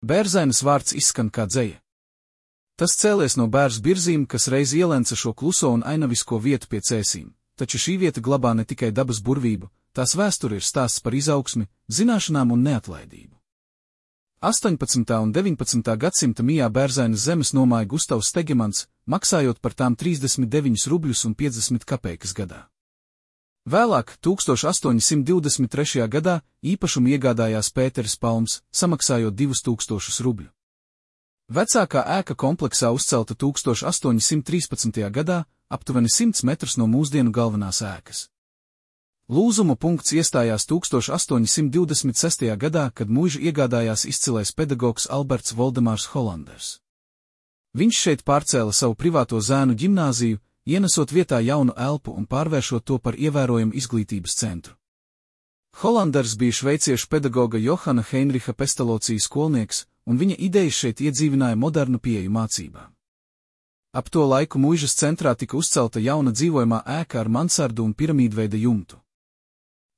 Bērzainas vārds izskan kā dzeja. Tas cēlies no Bērzu birzīm, kas reiz ielenca šo kluso un ainavisko vietu pie Cēsīm, taču šī vieta glabā ne tikai dabas burvību, tās vēsture ir stāsts par izaugsmi, zināšanām un neatlaidību. 18. un 19. gadsimta mijā Bērzainas zemes nomāja Gustavs Stegemans, maksājot par tām 39 rubļus un 50 kapeikas gadā. Vēlāk, 1823. gadā, īpašumu iegādājās Pēteris Palms, samaksājot 2000 rubļu. Vecākā ēka kompleksā uzcelta 1813. gadā, aptuveni 100 metrus no mūsdienu galvenās ēkas. Lūzuma punkts iestājās 1826. gadā, kad muižu iegādājās izcilais pedagogs Alberts Voldemārs Hollanders. Viņš šeit pārcēla savu privāto zēnu ģimnāziju, ienesot vietā jaunu elpu un pārvēršot to par ievērojamu izglītības centru. Hollanders bija šveiciešu pedagoga Johana Heinricha Pestalocī skolnieks, un viņa idejas šeit iedzīvināja modernu pieeju mācībām. Ap to laiku muižas centrā tika uzcelta jauna dzīvojamā ēka ar mansardu un piramīdveida jumtu.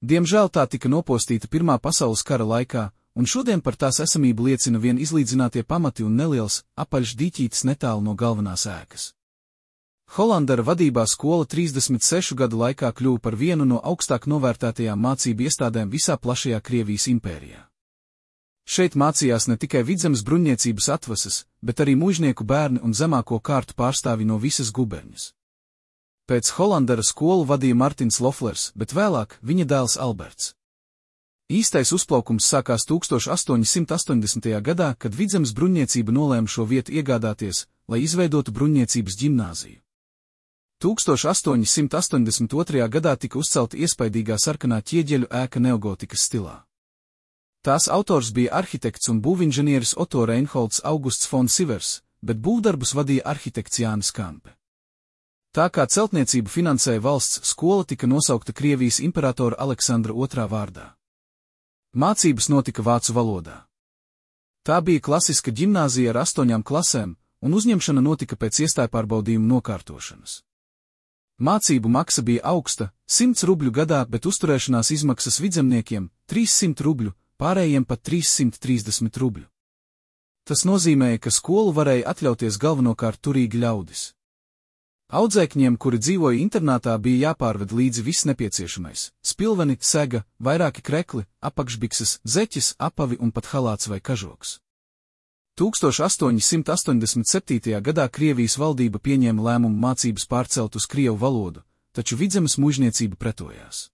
Diemžēl tā tika nopostīta Pirmā pasaules kara laikā, un šodien par tās esamību liecina vien izlīdzinātie pamati un neliels, apaļš dīķītis netālu no galvenās ēkas. Hollandera vadībā skola 36 gadu laikā kļuva par vienu no augstāk novērtētajām mācību iestādēm visā plašajā Krievijas impērijā. Šeit mācījās ne tikai Vidzemes bruņniecības atvases, bet arī muižnieku bērni un zemāko kārtu pārstāvi no visas guberņas. Pēc Hollandera skolu vadīja Martins Loflers, bet vēlāk viņa dēls Alberts. Īstais uzplaukums sākās 1880. gadā, kad Vidzemes bruņniecība nolēma šo vietu iegādāties, lai izveidotu bruņniecības ģimnāziju. 1882. gadā tika uzcelta iespaidīgā sarkanā ķieģeļu ēka neogotikas stilā. Tās autors bija arhitekts un būvinženieris Otto Reinholds Augusts von Sivers, bet būvdarbus vadīja arhitekts Jānis Kampe. Tā kā celtniecību finansēja valsts, skola tika nosaukta Krievijas imperatora Aleksandra II vārdā. Mācības notika vācu valodā. Tā bija klasiska ģimnāzija ar 8 klasēm, un uzņemšana notika pēc iestājpārbaudījuma nokārtošanas. Mācību maksa bija augsta, 100 rubļu gadā, bet uzturēšanās izmaksas vidzemniekiem 300 rubļu, pārējiem pat 330 rubļu. Tas nozīmēja, ka skolu varēja atļauties galvenokārt turīgi ļaudis. Audzēkņiem, kuri dzīvoja internātā, bija jāpārved līdzi viss nepieciešamais – spilveni, sega, vairāki krekli, apakšbikses, zeķes, apavi un pat halāts vai kažoks. 1887. gadā Krievijas valdība pieņēma lēmumu mācības pārcelt uz krievu valodu, taču Vidzemes muižniecība pretojās.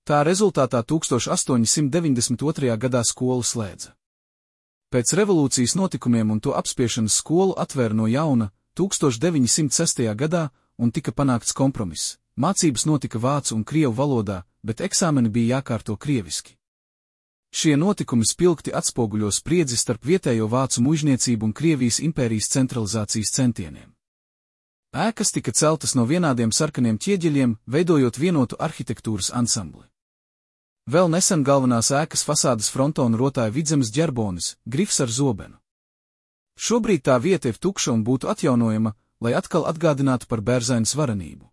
Tā rezultātā 1892. gadā skolu slēdza. Pēc revolūcijas notikumiem un to apspiešanas skolu atvēra no jauna 1906. gadā un tika panākts kompromiss. Mācības notika vācu un krievu valodā, bet eksāmeni bija jākārto krieviski. Šie notikumi spilgti atspoguļo spriedzi starp vietējo vācu muižniecību un Krievijas impērijas centralizācijas centieniem. Ēkas tika celtas no vienādiem sarkaniem ķieģeļiem, veidojot vienotu arhitektūras ansambli. Vēl nesen galvenās ēkas fasādes frontonu rotāja Vidzemes ģerbonis, grifs ar zobenu. Šobrīd tā vieta ir tukša un būtu atjaunojama, lai atkal atgādinātu par Bērzainas varenību.